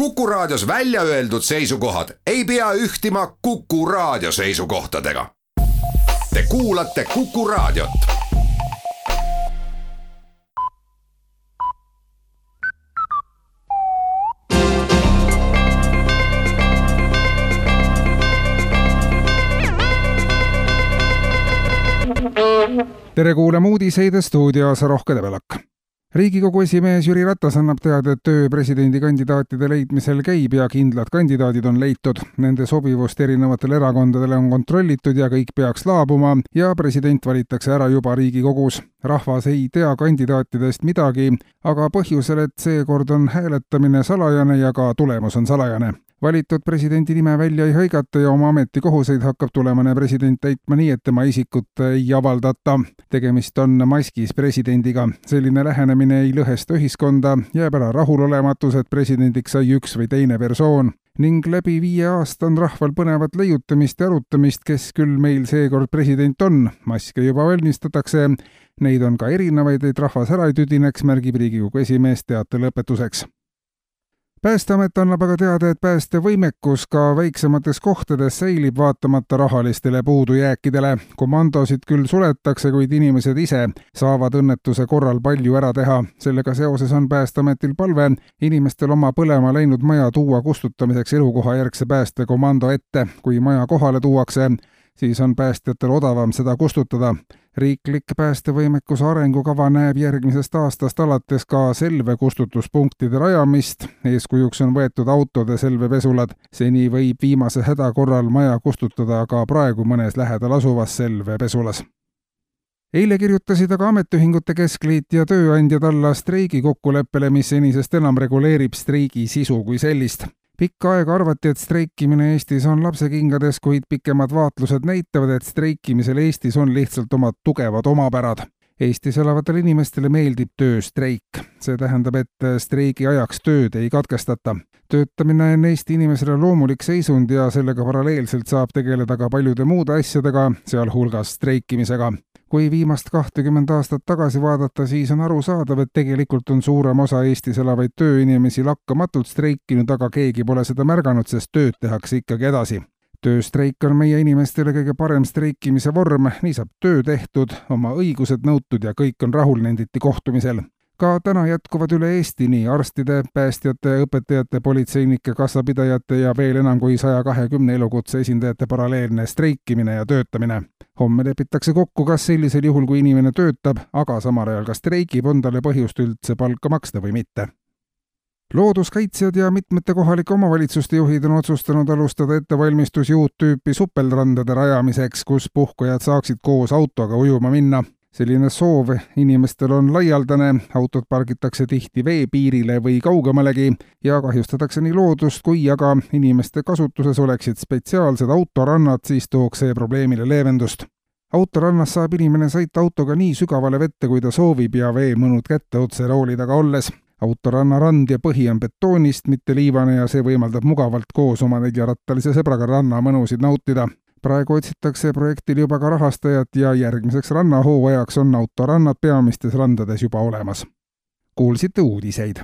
Kuku Raadios välja öeldud seisukohad ei pea ühtima Kuku Raadio seisukohtadega. Te kuulate Kuku Raadiot. Tere kuulama uudiseid stuudios Rohke Debelak. Riigikogu esimees Jüri Ratas annab teada, et töö presidendikandidaatide leidmisel käib ja kindlad kandidaadid on leitud. Nende sobivust erinevatele erakondadele on kontrollitud ja kõik peaks laabuma ja president valitakse ära juba Riigikogus. Rahvas ei tea kandidaatidest midagi, aga põhjusel, et seekord on hääletamine salajane ja ka tulemus on salajane. Valitud presidendi nime välja ei hõigata ja oma ametikohuseid hakkab tulemane president täitma nii, et tema isikut ei avaldata. Tegemist on maskis presidendiga. Selline lähenemine ei lõhesta ühiskonda, jääb ära rahulolematus, et presidendiks sai üks või teine persoon. Ning läbi 5 aasta on rahval põnevat leiutamist ja arutamist, kes küll meil seekord president on. Maske juba valmistatakse. Neid on ka erinevaid, et rahvas ära ei tüdineks, märgib Riigikogu esimees teate lõpetuseks. Päästeamet annab aga teada, et päästevõimekus ka väiksemates kohtades säilib vaatamata rahalistele puudujääkidele. Komandosid küll suletakse, kuid inimesed ise saavad õnnetuse korral palju ära teha. Sellega seoses on Päästeametil palve inimestel oma põlema läinud maja tuua kustutamiseks elukohajärgse päästekomando ette. Kui maja kohale tuuakse, siis on päästjatel odavam seda kustutada. Riiklik päästevõimekuse arengukava näeb järgmisest aastast alates ka selvekustutuspunktide rajamist. Eeskujuks on võetud autode selvepesulad. Seni võib viimase häda korral maja kustutada ka praegu mõnes lähedal asuvas selvepesulas. Eile kirjutasid aga ametiühingute keskliit ja tööandjad alla streigi kokkuleppele, mis senisest enam reguleerib streigi sisu kui sellist. Pikka aega arvati, et streikimine Eestis on lapsekingades, kuid pikemad vaatlused näitavad, et streikimisel Eestis on lihtsalt omad tugevad omapärad. Eestis elavatele inimestele meeldib tööstreik. See tähendab, et streigi ajaks tööd ei katkestata. Töötamine on Eesti inimesele loomulik seisund ja sellega paralleelselt saab tegeleda ka paljude muude asjadega, sealhulgas streikimisega. Kui viimast 20 aastat tagasi vaadata, siis on arusaadav, et tegelikult on suurem osa Eestis elavaid tööinimesi lakkamatult streikinud, aga keegi pole seda märganud, sest tööd tehakse ikkagi edasi. Tööstreik on meie inimestele kõige parem streikimise vorm, nii saab töö tehtud, oma õigused nõutud ja kõik on rahul, nenditi kohtumisel. Ka täna jätkuvad üle Eesti nii arstide, päästjate, õpetajate, politseinike, kassapidajate ja veel enam kui 120 elukutse esindajate paralleelne streikimine ja töötamine. Homme lepitakse kokku, kas sellisel juhul, kui inimene töötab, aga samal ajal ka streigib, on talle põhjust üldse palka maksta või mitte. Looduskaitsjad ja mitmete kohalike omavalitsuste juhid on otsustanud alustada ettevalmistusi uut tüüpi supelrandade rajamiseks, kus puhkajad saaksid koos autoga ujuma minna. Selline soov inimestel on laialdane, autod pargitakse tihti veepiirile või kaugemalegi ja kahjustatakse nii loodust, kui aga inimeste kasutuses oleksid spetsiaalsed autorannad, siis tooks see probleemile leevendust. Autorannas saab inimene sõita autoga nii sügavale vette, kui ta soovib ja veemõnud kätte otse rooli taga olles. Autoranna rand ja põhi on betoonist, mitte liivane ja see võimaldab mugavalt koos oma 4-rattalise sõbraga ranna mõnusid nautida. Praegu otsitakse projektil juba ka rahastajat ja järgmiseks rannahooajaks on autorannad peamistes randades juba olemas. Kuulsite uudiseid.